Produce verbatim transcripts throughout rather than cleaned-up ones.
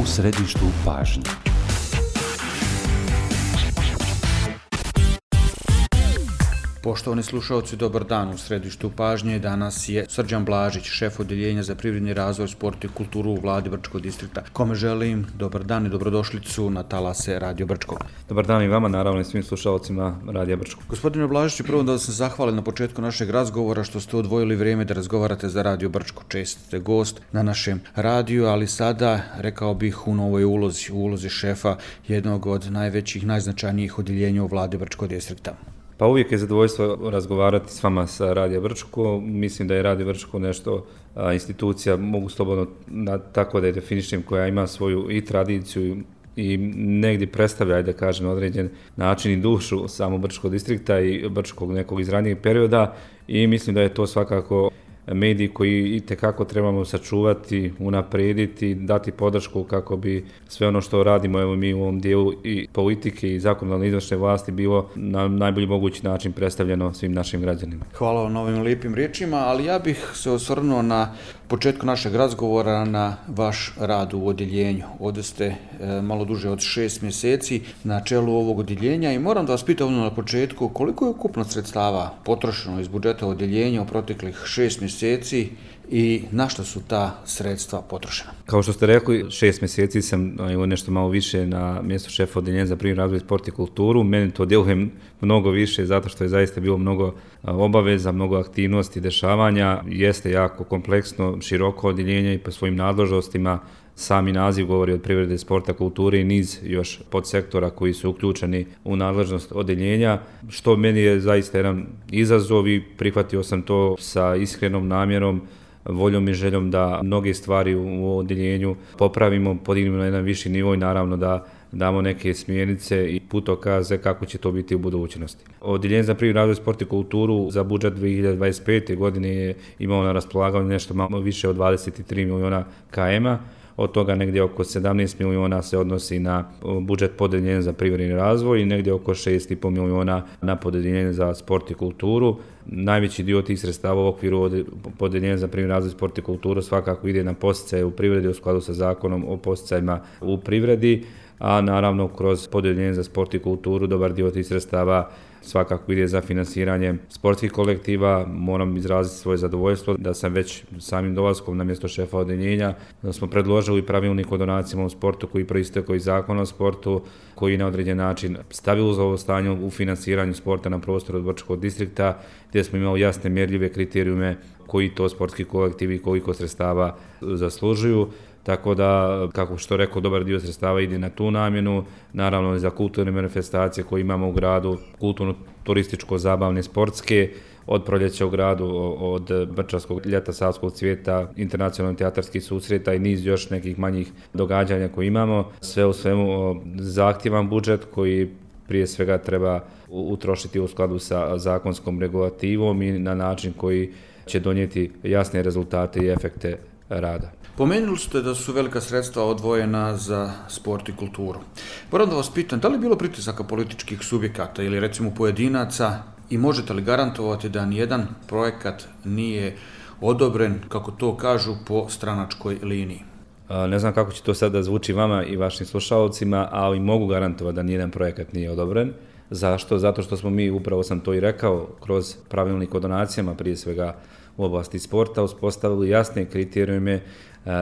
u središtu pažnje. Poštovani slušalci, dobar dan. U središtu pažnje danas je Srđan Blažić, šef Odeljenja za privredni razvoj, sport i kulturu u Vladi Brčkog distrikta, kome želim dobar dan i dobrodošlicu na talase Radio Brčko. Dobar dan i vama, naravno i svim slušalcima Radio Brčko. Gospodine Blažiću, prvo da se zahvalim na početku našeg razgovora što ste odvojili vrijeme da razgovarate za Radio Brčko. Čest ste gost na našem radiju, ali sada, rekao bih, u novoj ulozi, u ulozi šefa jednog od najvećih, najznačajnijih odjeljenja u Vladi Brčkog distrikta. Pa uvijek je zadovoljstvo razgovarati s vama sa Radio Brčko. Mislim da je Radio Brčko nešto a, institucija, mogu slobodno na, tako da je definišem, koja ima svoju i tradiciju i negdje predstavlja, da kažem, određen način i dušu samo Brčkog distrikta i Brčkog nekog iz ranijeg perioda, i mislim da je to svakako mediji koji itekako trebamo sačuvati, unaprijediti, dati podršku kako bi sve ono što radimo, evo mi u ovom dijelu i politike i zakonodavne izvršne vlasti, bilo na najbolji mogući način predstavljeno svim našim građanima. Hvala vam na ovim lijepim riječima, ali ja bih se osvrnuo na početku našeg razgovora na vaš rad u odjeljenju. Ovdje ste e, malo duže od šest mjeseci na čelu ovog odjeljenja i moram da vas pitam na početku koliko je ukupno sredstava potrošeno iz budžeta odjeljenja u proteklih šest mjeseci i na što su ta sredstva potrošena? Kao što ste rekli, šest mjeseci sam evo, nešto malo više na mjestu šefa Odeljenja za privredni razvoj, sport i kulturu. Meni to djeluje mnogo više zato što je zaista bilo mnogo obaveza, mnogo aktivnosti, dešavanja. Jeste jako kompleksno, široko odjeljenje i po svojim nadležnostima. Sami naziv govori od privrede, sporta, kulture i niz još podsektora koji su uključeni u nadležnost odjeljenja, što meni je zaista jedan izazov i prihvatio sam to sa iskrenom namjerom, voljom i željom da mnoge stvari u odjeljenju popravimo, podignemo na jedan viši nivo i naravno da damo neke smjernice i putokaze kako će to biti u budućnosti. Odjeljenje za privredni razvoj, sport i kulturu za budžet dvije hiljade dvadeset pete. godine je imao na raspolaganju nešto malo više od dvadeset tri miliona km-a. Od toga negdje oko sedamnaest miliona se odnosi na budžet podeljenja za privredni razvoj i negdje oko šest i pol miliona na podeljenje za sport i kulturu. Najveći dio tih sredstava u okviru podeljenja za privredni razvoj, sport i kulturu svakako ide na podsticaje u privredi u skladu sa zakonom o podsticajima u privredi, a naravno kroz podeljenje za sport i kulturu dobar dio tih sredstava svakako ide za finansiranje sportskih kolektiva. Moram izraziti svoje zadovoljstvo da sam već samim dolaskom na mjesto šefa odjeljenja da smo predložili pravilnik o donacijama u sportu koji proistekao iz zakona o sportu, koji na određen način stabilizovao stanje u finansiranju sporta na prostoru Brčkog distrikta, gdje smo imali jasne mjerljive kriterijume koji to sportski kolektivi i koliko sredstava zaslužuju. Tako da, kako što rekao, dobar dio sredstava ide na tu namjenu, naravno i za kulturne manifestacije koje imamo u gradu, kulturno, turističko, zabavne, sportske, od proljeća u gradu, od Brčanskog ljeta, Savskog cvijeta, internacionalnih teatarskih susreta i niz još nekih manjih događanja koje imamo. Sve u svemu zahtjevan budžet koji prije svega treba utrošiti u skladu sa zakonskom regulativom i na način koji će donijeti jasne rezultate i efekte rada. Pomenuli ste da su velika sredstva odvojena za sport i kulturu. Moram da vas pitam, da li je bilo pritisaka političkih subjekata ili recimo pojedinaca i možete li garantovati da nijedan projekat nije odobren, kako to kažu, po stranačkoj liniji? Ne znam kako će to sada zvuči vama i vašim slušalcima, ali mogu garantovati da nijedan projekat nije odobren. Zašto? Zato što smo mi, upravo sam to i rekao, kroz pravilnik o donacijama prije svega u oblasti sporta uspostavili jasne kriterijume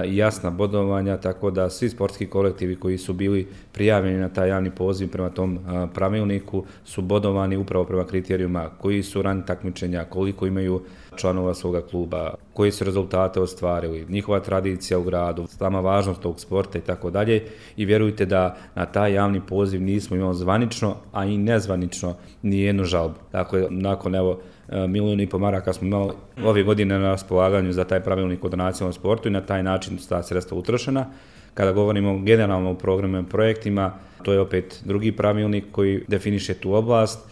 i jasna bodovanja, tako da svi sportski kolektivi koji su bili prijavljeni na taj javni poziv prema tom pravilniku su bodovani upravo prema kriterijuma koji su rang takmičenja, koliko imaju članova svoga kluba, koji su rezultate ostvarili, njihova tradicija u gradu, sama važnost tog sporta i tako dalje. I vjerujte da na taj javni poziv nismo imali zvanično, a i nezvanično ni jednu žalbu. Dakle, nakon evo milijun i po maraka smo imali ove godine na raspolaganju za taj pravilnik o donacijama u sportu i na taj način su ta sredstva utrošena. Kada govorimo generalno o programima i projektima, to je opet drugi pravilnik koji definiše tu oblast.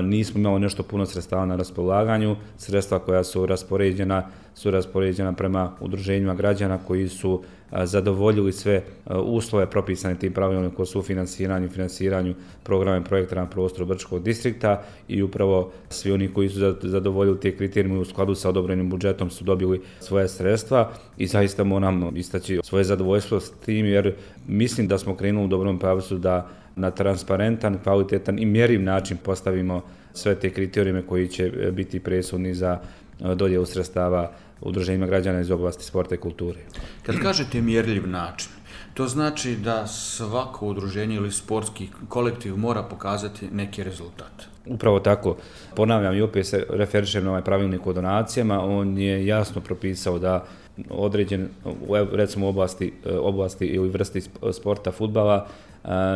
Nismo imali nešto puno sredstava na raspolaganju, sredstva koja su raspoređena su raspoređena prema udruženjima građana koji su zadovoljili sve uslove propisane tim pravilnikom o sufinanciranju i finansiranju programa i projekta na prostoru Brčkog distrikta i upravo svi oni koji su zadovoljili te kriterijume u skladu sa odobrenim budžetom su dobili svoje sredstva i zaista moram istaći svoje zadovoljstvo s tim jer mislim da smo krenuli u dobrom pravcu da na transparentan, kvalitetan i mjeriv način postavimo sve te kriterijume koji će biti presudni za dodjelu sredstava udruženjima građana iz oblasti sporta i kulture. Kad kažete mjerljiv način, to znači da svako udruženje ili sportski kolektiv mora pokazati neki rezultat. Upravo tako. Ponavljam i opet se referišem na ovaj pravilnik o donacijama. On je jasno propisao da određen, recimo u oblasti, oblasti ili vrsti sporta fudbala,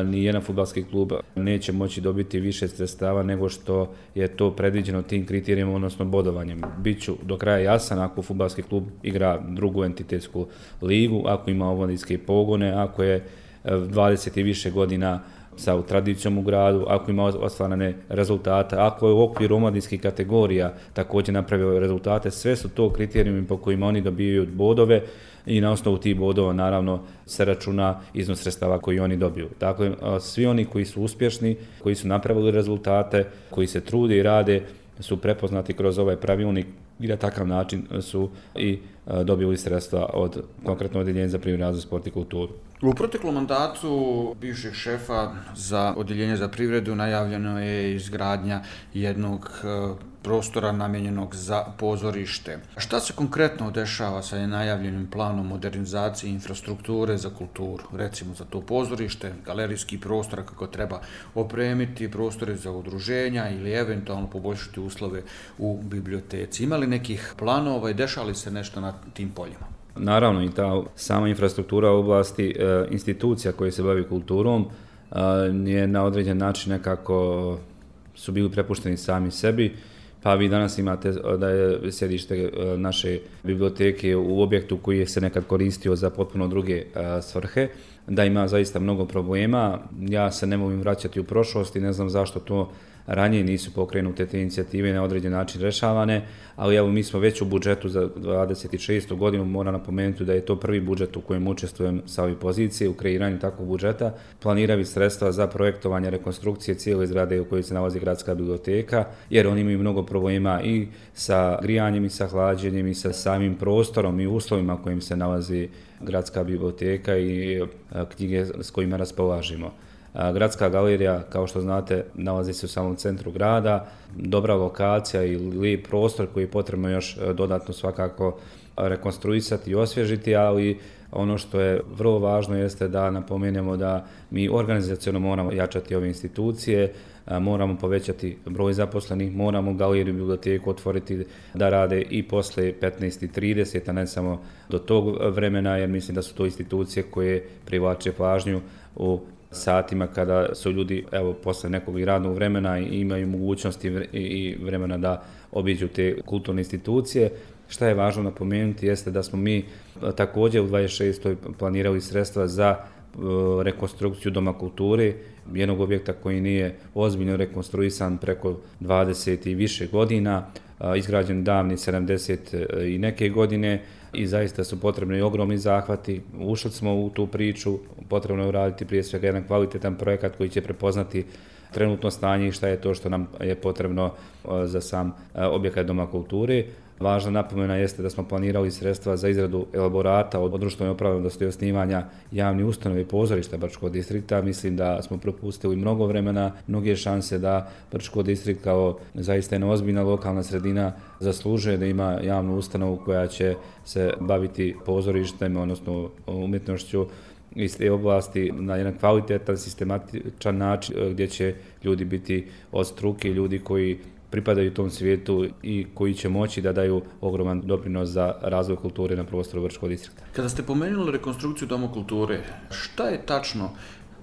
ni jedan fudbalski klub neće moći dobiti više sredstava nego što je to predviđeno tim kriterijima, odnosno bodovanjem. Biću do kraja jasan, ako fudbalski klub igra drugu entitetsku ligu, ako ima omladinske pogone, ako je dvadeset i više godina sa tradicijom u gradu, ako ima ostvarene rezultate, ako je u okviru omladinskih kategorija također napravio rezultate, sve su to kriterijumi po kojima oni dobijaju bodove i na osnovu tih bodova naravno se računa iznos sredstava koji oni dobiju. Dakle, svi oni koji su uspješni, koji su napravili rezultate, koji se trude i rade, su prepoznati kroz ovaj pravilnik i na takav način su i dobili sredstva od konkretno Odjeljenja za privredni razvoj, sport i kulturu. U proteklom mandatu bivšeg šefa za Odjeljenje za privredu najavljeno je izgradnja jednog prostora namijenjenog za pozorište. Šta se konkretno dešava sa najavljenim planom modernizacije infrastrukture za kulturu? Recimo za to pozorište, galerijski prostor kako treba opremiti, prostore za udruženja ili eventualno poboljšati uslove u biblioteci. Ima li nekih planova i dešava li se nešto na tim poljima? Naravno i ta sama infrastruktura u oblasti e, institucija koje se bavi kulturom e, je na određen način nekako su bili prepušteni sami sebi. Pa vi danas imate da je sjedište naše biblioteke u objektu koji je se nekad koristio za potpuno druge svrhe, da ima zaista mnogo problema. Ja se ne mogu vraćati u prošlost i ne znam zašto to ranije nisu pokrenute te inicijative na određen način rešavane, ali evo mi smo već u budžetu za dvadeset šestu godinu, moram napomenuti da je to prvi budžet u kojem učestvujem sa ove pozicije u kreiranju takvog budžeta, planirali sredstva za projektovanje rekonstrukcije cijele zgrade u kojoj se nalazi gradska biblioteka, jer oni imaju mnogo problema i sa grijanjem i sa hlađenjem i sa samim prostorom i uslovima u kojim se nalazi gradska biblioteka i knjige s kojima raspolažimo. Gradska galerija, kao što znate, nalazi se u samom centru grada, dobra lokacija i lijep prostor koji je potrebno još dodatno svakako rekonstruisati i osvježiti, ali ono što je vrlo važno jeste da napomenemo da mi organizaciono moramo jačati ove institucije, moramo povećati broj zaposlenih, moramo galeriju i biblioteku otvoriti da rade i posle petnaest i trideset, a ne samo do tog vremena, jer mislim da su to institucije koje privlače pažnju u satima kada su ljudi, evo, posle nekog radnog vremena i imaju mogućnosti i vremena da obiđu te kulturne institucije. Šta je važno napomenuti jeste da smo mi također u dvadeset šestoj planirali sredstva za rekonstrukciju Doma kulture, jednog objekta koji nije ozbiljno rekonstruisan preko dvadeset i više godina, izgrađen davni sedamdeset i neke godine i zaista su potrebni i ogromni zahvati. Ušli smo u tu priču, potrebno je uraditi prije svega jedan kvalitetan projekat koji će prepoznati trenutno stanje i šta je to što nam je potrebno za sam objekat Doma kulture. Važna napomena jeste da smo planirali sredstva za izradu elaborata o društvenoj opravdanosti osnivanja javnih ustanova i pozorišta Brčkog distrikta. Mislim da smo propustili mnogo vremena, mnoge šanse da Brčkog distrikt kao zaista jedna ozbiljna lokalna sredina zaslužuje da ima javnu ustanovu koja će se baviti pozorištem, odnosno umjetnošću iz te oblasti na jedan kvalitetan, sistematičan način gdje će ljudi biti od struke, ljudi koji pripadaju tom svijetu i koji će moći da daju ogroman doprinos za razvoj kulture na prostoru Brčkog distrikta. Kada ste pomenuli rekonstrukciju Doma kulture, šta je tačno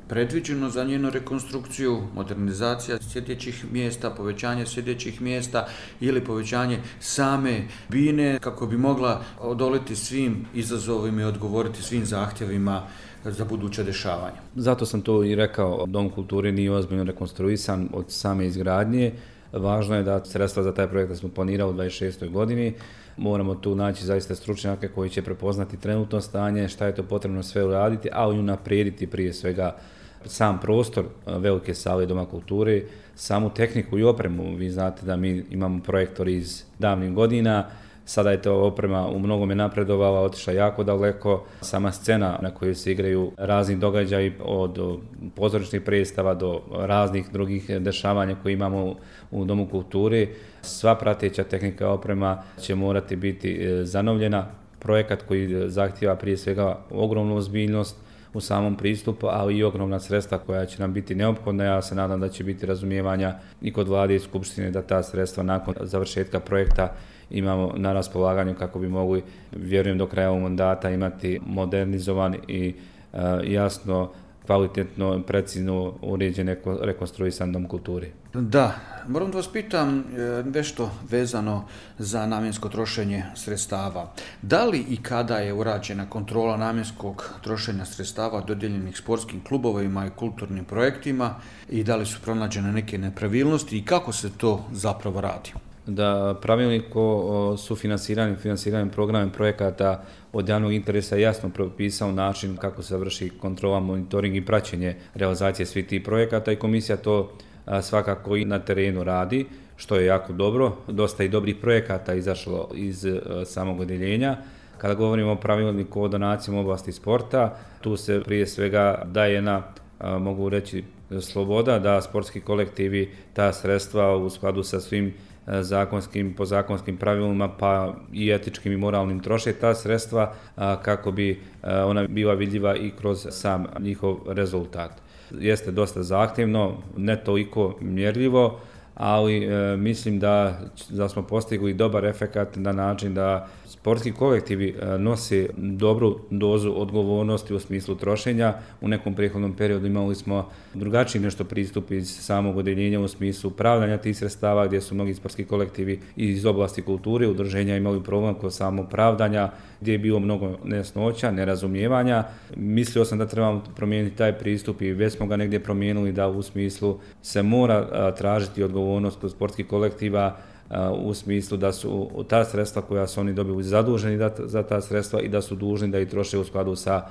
predviđeno za njenu rekonstrukciju, modernizacija sjedećih mjesta, povećanje sjedećih mjesta ili povećanje same bine kako bi mogla odoliti svim izazovima i odgovoriti svim zahtjevima za buduće dešavanja? Zato sam to i rekao, Dom kulture nije ozbiljno rekonstruisan od same izgradnje. Važno je da sredstva za taj projekt da smo planirali u dvadeset šestoj godini. Moramo tu naći zaista stručnjake koji će prepoznati trenutno stanje, šta je to potrebno sve uraditi, a i unaprijediti prije svega sam prostor Velike sale Doma kulture, samu tehniku i opremu. Vi znate da mi imamo projektor iz davnih godina, sada je to oprema u mnogome napredovala, otišla jako daleko. Sama scena na kojoj se igraju razni događaji od pozorišnih predstava do raznih drugih dešavanja koje imamo u Domu kulture, sva prateća tehnika i oprema će morati biti zanovljena. Projekat koji zahtijeva prije svega ogromnu ozbiljnost u samom pristupu, ali i ogromna sredstva koja će nam biti neophodna. Ja se nadam da će biti razumijevanja i kod vlade i skupštine da ta sredstva nakon završetka projekta imamo na raspolaganju kako bi mogli, vjerujem, do kraja ovog mandata imati modernizovan i uh, jasno, kvalitetno, precizno uređen rekonstruisan Dom kulture. Da, moram da vas pitam nešto vezano za namjensko trošenje sredstava. Da li i kada je urađena kontrola namjenskog trošenja sredstava dodijeljenih sportskim klubovima i kulturnim projektima i da li su pronađene neke nepravilnosti i kako se to zapravo radi? Da pravilnik o sufinansiranju i finansiranju programa projekata od javnog interesa jasno propisao način kako se vrši kontrola, monitoring i praćenje realizacije svih tih projekata i komisija to svakako i na terenu radi, što je jako dobro. Dosta i dobrih projekata izašlo iz samog odjeljenja. Kada govorimo o pravilniku o donacijama u oblasti sporta, tu se prije svega daje na, mogu reći, sloboda da sportski kolektivi ta sredstva u skladu sa svim zakonskim, pozakonskim pravilima pa i etičkim i moralnim troše ta sredstva kako bi ona bila vidljiva i kroz sam njihov rezultat. Jeste dosta zahtjevno, ne toliko mjerljivo, ali e, mislim da, da smo postigli dobar efekat na način da sportski kolektivi e, nose dobru dozu odgovornosti u smislu trošenja. U nekom prethodnom periodu imali smo drugačiji nešto pristup iz samog odjeljenja u smislu upravljanja tih sredstava, gdje su mnogi sportski kolektivi iz oblasti kulture, udruženja imali problem kod samog pravdanja, gdje je bilo mnogo nejasnoća, nerazumijevanja. Mislio sam da trebamo promijeniti taj pristup i već smo ga negdje promijenili, da u smislu se mora a, tražiti odgovornost kod sportskih kolektiva a, u smislu da su ta sredstva koja su oni dobili zaduženi da, za ta sredstva i da su dužni da ih troše u skladu sa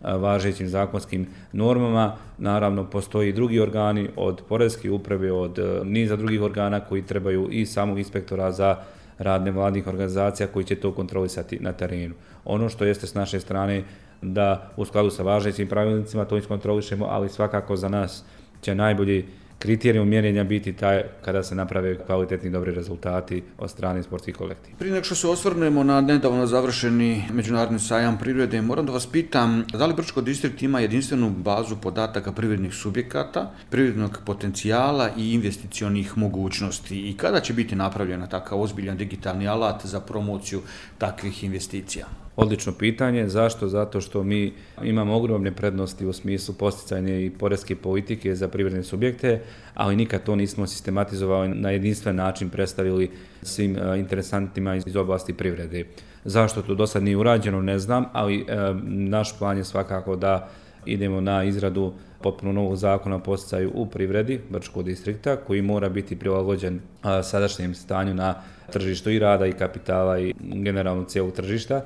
a, važećim zakonskim normama. Naravno, postoji i drugi organi od poreske uprave, od a, niza drugih organa koji trebaju i samog inspektora za rad nevladnih organizacija koji će to kontrolisati na terenu. Ono što jeste s naše strane da u skladu sa važećim pravilnicima to iskontrolišemo, ali svakako za nas će najbolji kriterijum mjerenja biti taj kada se naprave kvalitetni dobri rezultati od strane sportskih kolektiva. Prije nego što se osvrnemo na nedavno završeni Međunarodni sajam privrede, moram da vas pitam da li Brčko distrikt ima jedinstvenu bazu podataka privrednih subjekata, privrednog potencijala i investicionih mogućnosti i kada će biti napravljena takav ozbiljan digitalni alat za promociju takvih investicija? Odlično pitanje. Zašto? Zato što mi imamo ogromne prednosti u smislu posticajne i poreske politike za privredne subjekte, ali nikad to nismo sistematizovali na jedinstven način predstavili svim interesantima iz oblasti privrede. Zašto to do sad nije urađeno, ne znam, ali e, naš plan je svakako da idemo na izradu potpuno novog zakona o posticaju u privredi Brčkog distrikta koji mora biti prilagođen a, sadašnjem stanju na tržištu i rada i kapitala i generalno cijelog tržišta.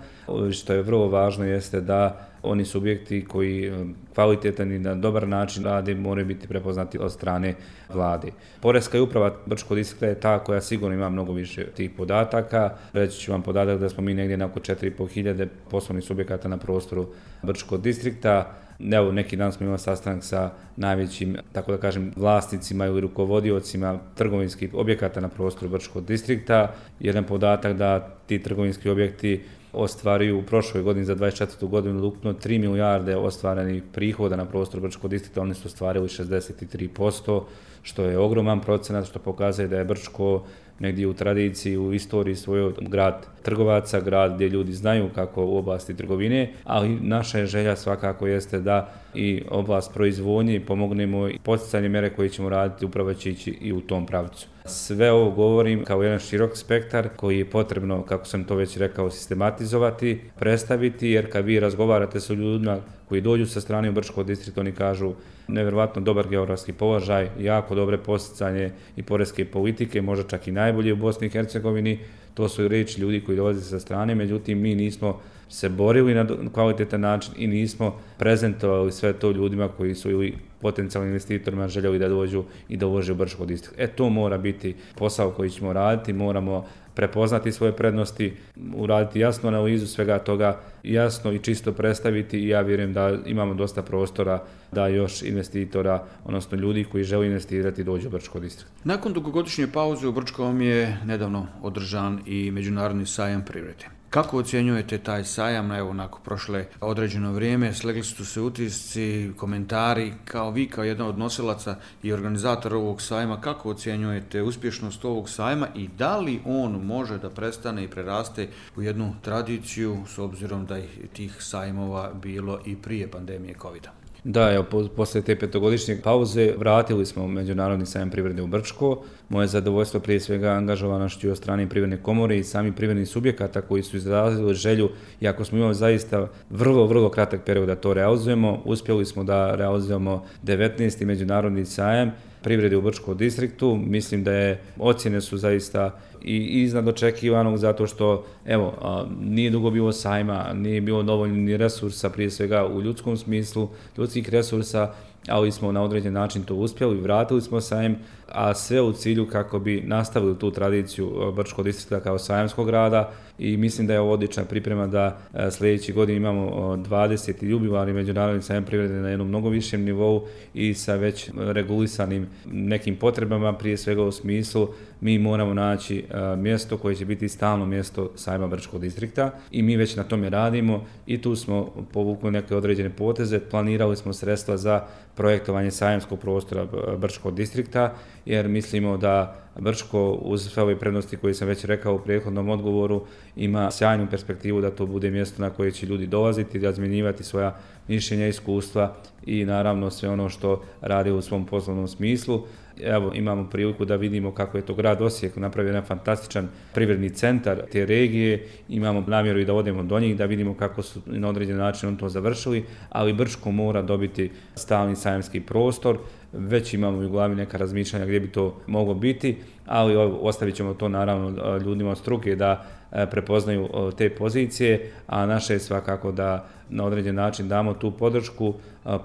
Što je vrlo važno jeste da oni subjekti koji kvalitetan i na dobar način rade moraju biti prepoznati od strane vlade. Poreska uprava Brčkog distrikta je ta koja sigurno ima mnogo više tih podataka. Reći ću vam podatak da smo mi negdje na oko četiri i pol hiljade poslovnih subjekata na prostoru Brčkog distrikta. Evo, neki dan smo imali sastanak sa najvećim, tako da kažem, vlasnicima ili rukovodiocima trgovinskih objekata na prostoru Brčkog distrikta. Jedan podatak da ti trgovinski objekti ostvaruju u prošloj godini za dvadeset četvrtu godinu ukupno tri milijarde ostvarenih prihoda na prostoru Brčkog distrikta, oni su ostvarili šezdeset tri posto, što je ogroman procenat, što pokazuje da je Brčko negdje u tradiciji, u istoriji svojoj grad trgovaca, grad gdje ljudi znaju kako u oblasti trgovine, ali naša je želja svakako jeste da i oblast proizvodnje pomognemo i poticanje mjere koje ćemo raditi upravo će ići i u tom pravcu. Sve ovo govorim kao jedan širok spektar koji je potrebno, kako sam to već rekao, sistematizovati, predstaviti, jer kad vi razgovarate sa ljudima koji dođu sa strane u Brčko distrikt, oni kažu nevjerovatno dobar geografski položaj, jako dobre posticanje i poreske politike, možda čak i najbolje u Bosni i Hercegovini. To su riječi ljudi koji dolaze sa strane, međutim mi nismo se borili na kvalitetan način i nismo prezentovali sve to ljudima koji su ili potencijalnim investitorima željeli da dođu i da ulože u Brčko distrikt. E to mora biti posao koji ćemo raditi, moramo prepoznati svoje prednosti, uraditi jasnu analizu svega toga, jasno i čisto predstaviti i ja vjerujem da imamo dosta prostora da još investitora, odnosno ljudi koji žele investirati dođu u Brčko distrikt. Nakon dugogodišnje pauze u Brčkom je nedavno održan i Međunarodni sajam privrede. Kako ocjenjujete taj sajam? Evo, nakon prošle određeno vrijeme, slegli su se utisci, komentari, kao vi, kao jedan od nosilaca i organizatora ovog sajma, kako ocjenjujete uspješnost ovog sajma i da li on može da prestane i preraste u jednu tradiciju, s obzirom da je tih sajmova bilo i prije pandemije kovida? Da, evo, posle te petogodišnje pauze vratili smo Međunarodni sajam privrede u Brčko. Moje zadovoljstvo prije svega angažovanošću od strane Privredne komore i sami privrednih subjekata koji su izrazili želju, iako smo imali zaista vrlo, vrlo kratak period da to realizujemo, uspjeli smo da realizujemo devetnaesti Međunarodni sajam privrede u Brčkom distriktu. Mislim da je ocjene su zaista i iznad očekivanog zato što evo nije dugo bilo sajma, nije bilo dovoljno ni resursa prije svega u ljudskom smislu, ljudskih resursa, ali smo na određen način to uspjeli, vratili smo sajam, a sve u cilju kako bi nastavili tu tradiciju Brčkog distrikta kao sajamskog grada i mislim da je ovo odlična priprema da sljedeći godin imamo dvadeseti jubilarni Međunarodni sajam privrede na jednom mnogo višem nivou i sa već regulisanim nekim potrebama, prije svega u smislu mi moramo naći mjesto koje će biti stalno mjesto sajma Brčkog distrikta i mi već na tome radimo i tu smo povukli neke određene poteze, planirali smo sredstva za projektovanje sajamskog prostora Brčkog distrikta, jer mislimo da Brčko, uz sve ove prednosti koje sam već rekao u prethodnom odgovoru, ima sjajnu perspektivu da to bude mjesto na koje će ljudi dolaziti, razmjenjivati svoja mišljenja, iskustva i naravno sve ono što radi u svom poslovnom smislu. Evo, imamo priliku da vidimo kako je to grad Osijek napravio jedan fantastičan privredni centar te regije, imamo namjeru i da odemo do njih, da vidimo kako su na određen način on to završili, ali Brčko mora dobiti stalni sajamski prostor, već imamo u glavi neka razmišljanja gdje bi to moglo biti, ali ostavit ćemo to naravno ljudima od struke da prepoznaju te pozicije, a naše je svakako da na određen način damo tu podršku,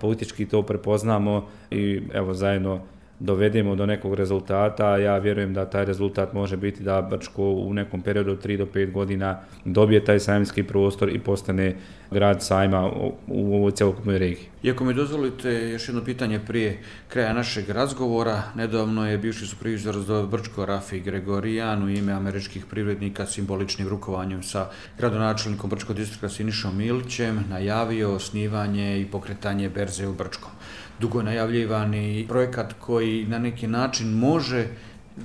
politički to prepoznamo i evo zajedno dovedemo do nekog rezultata. Ja vjerujem da taj rezultat može biti da Brčko u nekom periodu od tri do pet godina dobije taj sajamski prostor i postane grad sajma u ovoj cjelokupnoj regiji. Iako mi dozvolite još jedno pitanje prije kraja našeg razgovora, nedavno je bivši supervizor za Brčko Rafi Gregorijan u ime američkih privrednika simboličnim rukovanjem sa gradonačelnikom Brčkog distrikta Sinišom Milićem najavio osnivanje i pokretanje berze u Brčkom. Dugo najavljivani projekat koji na neki način može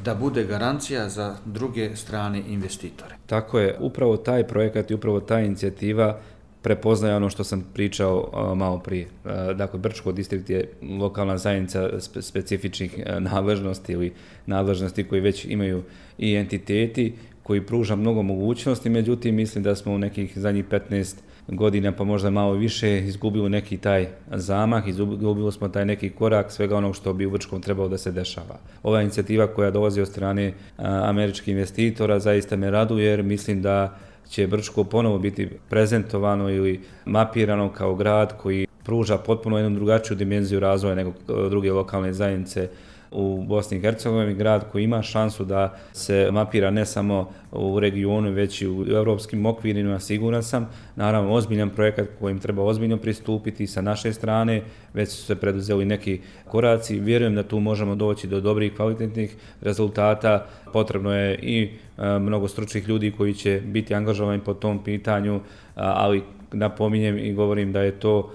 da bude garancija za druge strane investitore. Tako je, upravo taj projekat i upravo ta inicijativa prepoznaje ono što sam pričao uh, malo prije. Uh, dakle, Brčko distrikt je lokalna zajednica spe, specifičnih uh, nadležnosti ili nadležnosti koje već imaju i entiteti koji pruža mnogo mogućnosti, međutim mislim da smo u nekih zadnjih petnaest godina pa možda malo više izgubili neki taj zamah, izgubili smo taj neki korak svega onog što bi u Brčkom trebalo da se dešava. Ova inicijativa koja dolazi od strane a, američkih investitora zaista me raduje jer mislim da će Brčko ponovo biti prezentovano ili mapirano kao grad koji pruža potpuno jednu drugačiju dimenziju razvoja nego druge lokalne zajednice u Bosni i Hercegovini, grad koji ima šansu da se mapira ne samo u regionu, već i u europskim okvirima, siguran sam. Naravno, ozbiljan projekat kojim treba ozbiljno pristupiti sa naše strane, već su se preduzeli neki koraci. Vjerujem da tu možemo doći do dobrih, kvalitetnih rezultata. Potrebno je i mnogo stručnih ljudi koji će biti angažovani po tom pitanju, ali napominjem i govorim da je to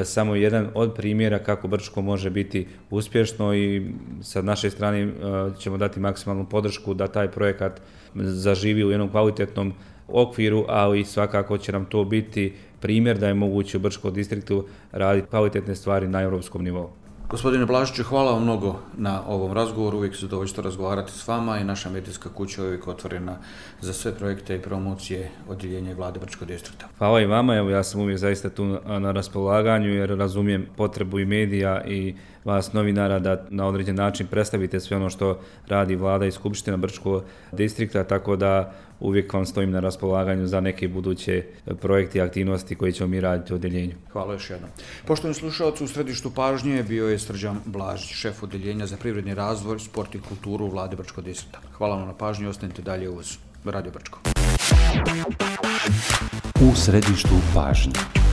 samo jedan od primjera kako Brčko može biti uspješno i sa naše strane ćemo dati maksimalnu podršku da taj projekat zaživi u jednom kvalitetnom okviru, ali svakako će nam to biti primjer da je moguće u Brčkom distriktu raditi kvalitetne stvari na europskom nivou. Gospodine Blažiću, hvala vam mnogo na ovom razgovoru, uvijek se zadovoljstvo razgovarati s vama i naša medijska kuća je uvijek otvorena za sve projekte i promocije odjeljenja Vlade Brčkog distrikta. Hvala i vama, evo ja sam uvijek zaista tu na raspolaganju jer razumijem potrebu i medija i vas novinara da na određen način predstavite sve ono što radi Vlada i Skupština Brčkog distrikta, tako da uvijek vam stojim na raspolaganju za neke buduće projekte i aktivnosti koje ćemo mi raditi u odjeljenju. Hvala još jednom. Poštovani slušalci, u središtu pažnje bio je Srđan Blažić, šef odjeljenja za privredni razvoj, sport i kulturu u Vladi Brčkog distrikta. Hvala vam na pažnji i ostanite dalje uz Radio Brčko. U središtu pažnje.